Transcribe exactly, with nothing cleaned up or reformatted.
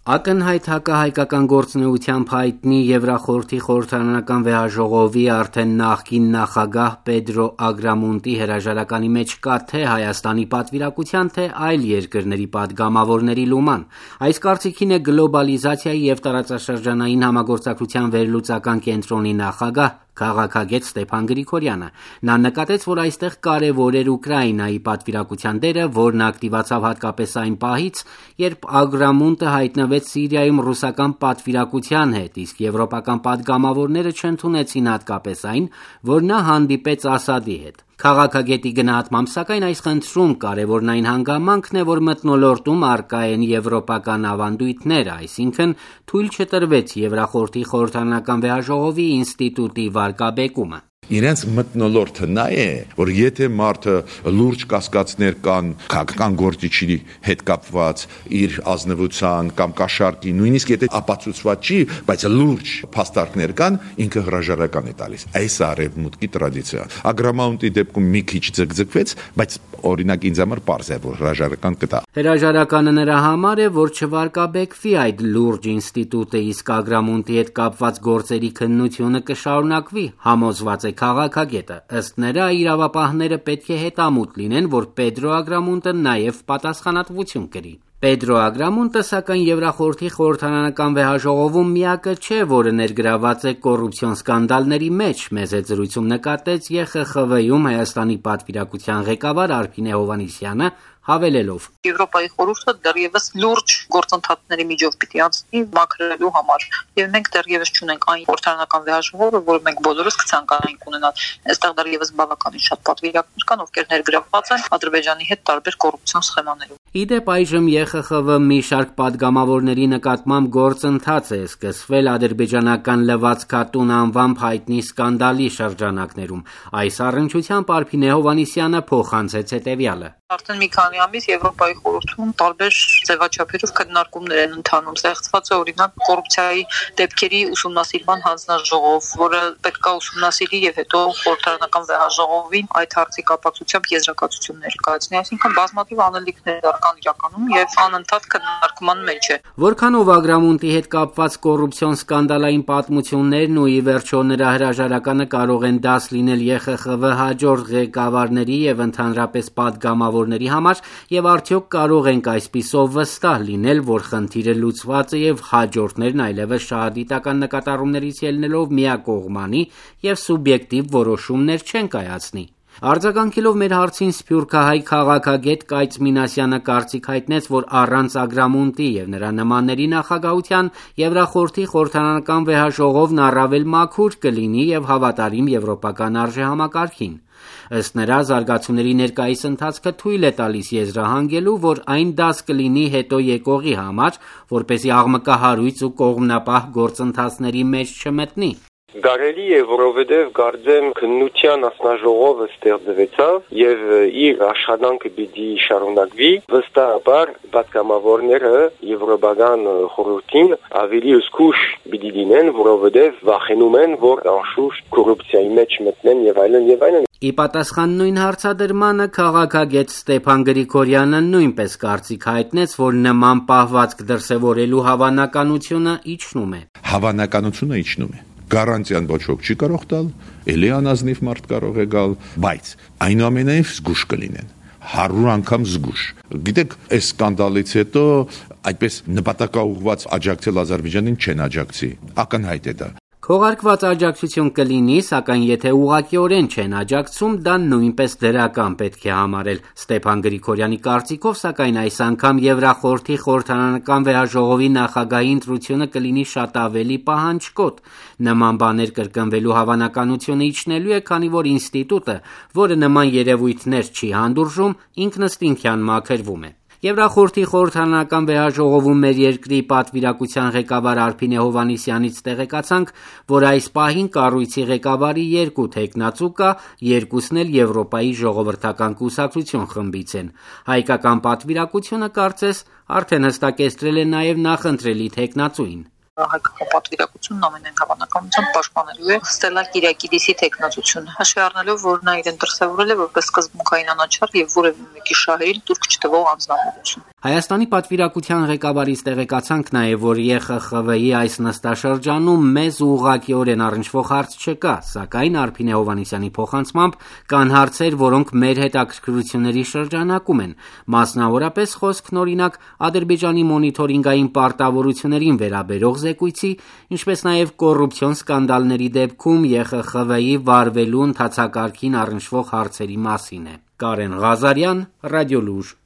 Ակնհայտ հակահայկական գործունեությամբ հայտնի Եվրախորհրդի խորհրդարանական վեհաժողովի արդեն նախկին նախագահ Պեդրո Ագրամոնտի հրաժարականի մեջ կա թե Հայաստանի պատվիրակության, թե այլ երկրների պատգամավորների լուման։ Այս կարծիքին է գլոբալիզացիայի և տարածաշրջանային համագործակցության վերլուծական կենտրոնի նախագահ քաղաքագետ Ստեփան Գրիգորյանը։ Նա նկատեց, որ այստեղ կարևոր էր Ուկրաինայի պատվիրակության դերը, որն ակտիվացավ հատկապես այն պահից, երբ Ագրամոնտը հայտնվեց Սիրիայում ռուսական պատվիրակության հետ, իսկ եվրոպական պատգամավորները չընդունեցին հատկապես այն, որ նա հանդիպեց Ասադի հետ։ Քաղաքագետի գնահատմամբ, սակայն այս խնդրում կարևորն այն հանգամանքն է, որ մթնոլորտում առկա են եվրոպական ավանդույթներ, այսինքն թույլ չտրվեց Եվրախորհրդի խորհրդարանական վեհաժողովի ինստիտուտի վարկաբեկումը։ Իրենց մթնոլորտը նա է, որ եթե մարդը լուրջ կասկածներ կան քաղաքական գործիչի հետ կապված իր ազնվության կամ կաշառքի, նույնիսկ եթե ապացուցված չի, բայց լուրջ փաստարկներ կան, ինքը հրաժարական է տալիս։ Այս արևմուտքի տրադիցիա։ Ագրամոնտի դեպքում մի քիչ ձգձգվեց, բայց օրինակ ինձ համար պարզ է, որ հրաժարական կտա։ Հրաժարականը նրա համար է, որ չվարկաբեկվի այդ լուրջ ինստիտուտը, իսկ Ագրամոնտի հետ կապված գործերի քննությունը կշարունակվի, համոզված է քաղաքագետը։ Ըստ նրա, իրավապահները պետք է հետամուտ լինեն, որ Պեդրո Ագրամոնտը նաև պատասխանատվություն կրի։ Պեդրո Ագրամոնտը, սակայն Եվրախորհրդի խորհրդարանական վեհաժողովում միակը չէ, որը ներգրաված է կոռուպցիոն սկանդալների մեջ, մեծ զրույցում նկատեց Է Խ Խ V-ում Հայաստանի պատվիրակության ղեկավար Արփինե Հովհաննիսյանը, հավելելով. Եվրոպայի խորհուրդը դեռևս լուրջ գործընթացների միջով պիտի անցնի մաքրելու համար, եւ մենք դեռևս չունենք այն խորհրդարանական վեհաժողովը, որը մենք բոլորս կցանկանայինք ունենալ։ Այստեղ դեռևս բավականին շատ պատվիրակներ կան, ովքեր ներգրավված են Ադրբեջանի հետ տարբեր կոռուպցիոն սխեմաներում։ Իդեպ այժմ Է Խ Խ V մի շարք պատգամավորների նկատմամբ գործընթաց է սկսվել ադրբեջանական լվացքատուն անվամբ հայտնի սկանդալի շրջանակներում։ Այս առնչությամբ Արփինե Հովհաննիսյանը փոխանցեց հետևյալը. Արդեն մի քանի ամիս Եվրոպայի խորհրդում տարբեր ձևաչափերով քննարկումներ են ընթանում։ Ստեղծված է օրինակ կոռուպցիայի դեպքերի ուսումնասիրման հանձնաժողով, որը պետք է ուսումնասիրի եւ հետո խորհրդարանական վեհաժողովին այդ հարցի կապակցությամբ եզրակացություններ կայացնի։ Այսինքն բազմաթիվ անելիքներ կան իրականում եւ անընդհատ քննարկման մեջ է։ Որքանով Ագրամոնտի հետ կապված կոռուպցիոն սկանդալային պատմություններն ու ի վերջո նրա հրաժարականը կարող են դաս լինել Է Խ Խ V հաջորդ ղեկավարների եւ ընդհանրապես պատգամավորների համար, եւ արդյոք կարող ենք այսպիսով վստահ լինել, որ խնդիրը լուծված է եւ հաջորդներն այլևս շահադիտական նկատառումներից ելնելով միակողմանի եւ սուբյեկտիվ որոշումներ չեն կայացնի։ Արձագանքելով մեր հարցին սփյուռքահայ քաղաքագետ Կայծ Մինասյանը կարծիք հայտնեց, որ առանց Ագրամոնտի եւ նրա նմանների նախագահության Եվրախորհրդի խորհրդարանական վեհաժողովն առավել մաքուր կլինի եւ հավատարիմ եվրոպական արժեհամակարգին։ Ըստ նրա, զարգացումների ներկայիս ընթացքը թույլ է տալիս եզրահանգելու, որ այն դաս կլինի հետո եկողի համար, որպեսզի աղմկահարույց ու կողմնապահ գործընթացների մեջ չմտնի։ Կարելի է, որովհետև կարծեմ քննության ասնաժողովը ստեղծվեցավ եւ իր աշխատանքը պիտի շարունակվի, վստահաբար պատգամավորները Եվրոպական խորհրդին ավելի զգուշ պիտի լինեն, որովհետև վախենում են, որ անշուշտ կոռուպցիայի մեջ մտնեն եւ այլն եւ այլն։ Ի պատասխան նույն հարցադրմանը քաղաքագետ Ստեփան Գրիգորյանը նույնպես կարծիք հայտնեց, որ նման պահվածք դրսևորելու հավանականությունը իջնում է։ Հավանականությունը իջնում է։ Գարանտիան ոչ ոք չի կարող տալ, էլի անազնիվ մարդ կարող է գալ, բայց այնուամենայնիվ զգուշ կլինեն, հարյուր անգամ զգուշ։ Գիտեք, այս սկանդալից հետո այդպես նպատակաուղղված աջակցել Ադրբեջանին չեն աջակցի, ակնհայտ է դա։ Քողարկված աջակցություն կլինի, սակայն եթե ուղղակիորեն չեն աջակցում, դա նույնպես դրական պետք է համարել։ Ստեփան Գրիգորյանի կարծիքով, սակայն այս անգամ Եվրախորհրդի խորհրդարանական վեհաժողովի նախագահի ընտրությունը կլինի շատ ավելի պահանջկոտ։ Նման բաներ կրկնվելու հավանականությունը իջնելու է, քանի որ ինստիտուտը, որը նման երևույթներ չի հանդուրժում, ինքնըստինքյան մաքրվում է։ Եվրախորհրդի խորհրդարանական վեհաժողովում մեր երկրի պատվիրակության ղեկավար Արփինե Հովհաննիսյանից տեղեկացանք, որ այս պահին կառույցի ղեկավարի երկու թեկնածու կա, երկուսն էլ Եվրոպայի ժողովրդական կուսակցություն խմբից են։ Հայկական պատվիրակությունը կարծես արդեն հստակեցրել է նաև նախընտրելի թեկնածուին։ Հայկական պատվիրակությունն ամենայն հավանականությամբ պաշտպանելու է Ստելա Կիրիակիդիսի թեկնածությունը, հաշվի առնելով, որ նա իրեն դրսևորել է որպես սկզբունքային անաչառ եւ որևէ մեկի շահերին տուրք չտվող անձնավորություն։ Հայաստանի պատվիրակության ղեկավարից տեղեկացանք նաև, որ Ե Խ Խ V-ի այս նստաշրջանում մեզ ուղղակիորեն առնչվող հարց չկա, սակայն Արփինե Հովհաննիսյանի փոխանցմամբ կան հարցեր, որոնք մեր հետաքրքրությունների շրջանակում են, մասնավորապես խոսքն օրինակ Ադրբեջանի մոնիթորինգային պարտավորություններին վերաբերող զեկույցի, ինչպես նաև կոռուպցիոն սկանդալների դեպքում Ե Խ Խ V-ի վարվելու ընթացակարգին առնչվող հարցերի մասին է։ Կարեն Ղազարյան, Ռադիոլուր։